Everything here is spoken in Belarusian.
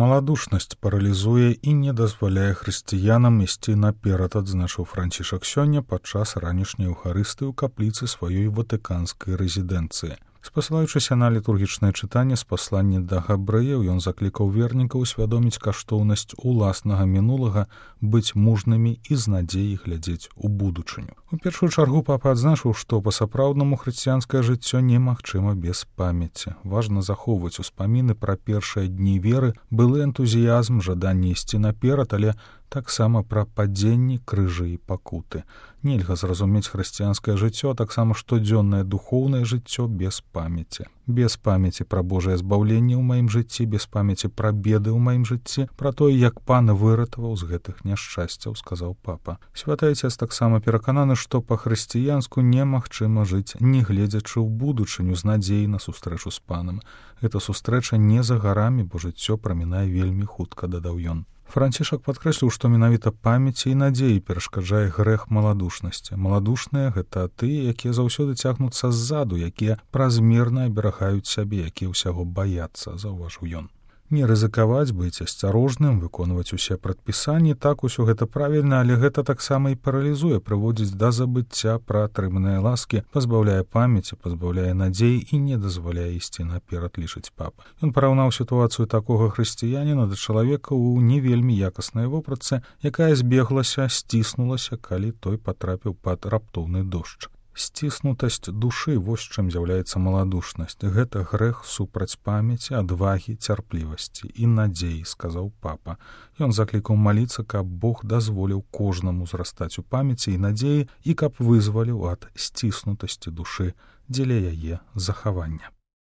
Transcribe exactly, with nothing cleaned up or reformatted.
Маладушнасць паралізуе і не дазваляе хрысціянам ісці наперад, адзначыў Францішак сёння падчас ранішняй еўхарыстыі ў капліцы сваёй ватыканскай рэзідэнцыі. Спасылаючыся на літургічнае чытанне з паслання да габрэяў, ён заклікаў вернікаў усвядоміць каштоўнасць уласнага мінулага, быць мужнымі і з надзеяй глядзець у будучыню. У першую чаргу папа адзначыў, што па-сапраўднаму хрысціянскае жыццё немагчыма без памяці. Важна захоўваць успаміны пра першыя дні веры, былы энтузіязм, жаданне ісці наперад, але таксама пра падзенні, крыжы і пакуты. Нельга зразумець хрысціянскае жыццё, а таксама штодзённае духоўнае жыццё без памяці. Без памяці пра Божае збаўленне ў маім жыцці, без памяці пра беды ў маім жыцці, пра тое, як пан выратаваў з гэтых няшчасцяў, сказаў папа. Святы Айцец таксама перакананы, што па-хрысціянску немагчыма жыць, не гледзячы ў будучыню з надзеяй на сустрэчу з панам. Гэта сустрэча не за гарамі, бо жыццё прамінае вельмі хутка, дадаў ён. Францішак падкрэсліў, што менавіта памяці і надзеі перашкаджае грэх маладушнасці. Маладушныя — гэта тыя, якія заўсёды цягнуцца ззаду, якія празмерна аберагаюць сябе, якія ўсяго баяцца, заўважыў ён. Не рызыкаваць, быць асцярожным, выконваць усе прадпісанні, так усё гэта правільна, але гэта таксама і паралізуе, прыводзіць да забыцця пра атрыманыя ласкі, пазбаўляе памяці, пазбаўляе надзеі і не дазваляе ісці наперад, лічыць папа. Ён параўнаў сітуацыю такога хрысціяніна да чалавека ў не вельмі якаснай вопратцы, якая збеглася, сціснулася, калі той патрапіў пад раптоўны дождж. Сціснутасць душы — вось чым з'яўляецца маладушнасць. Гэта грэх супраць памяці, адвагі, цярплівасці і надзеі, сказаў папа. Ён заклікаў маліцца, каб Бог дазволіў кожнаму зрастаць у памяці і надзеі і каб вызваліў ад сціснутасці душы дзеля яе захавання.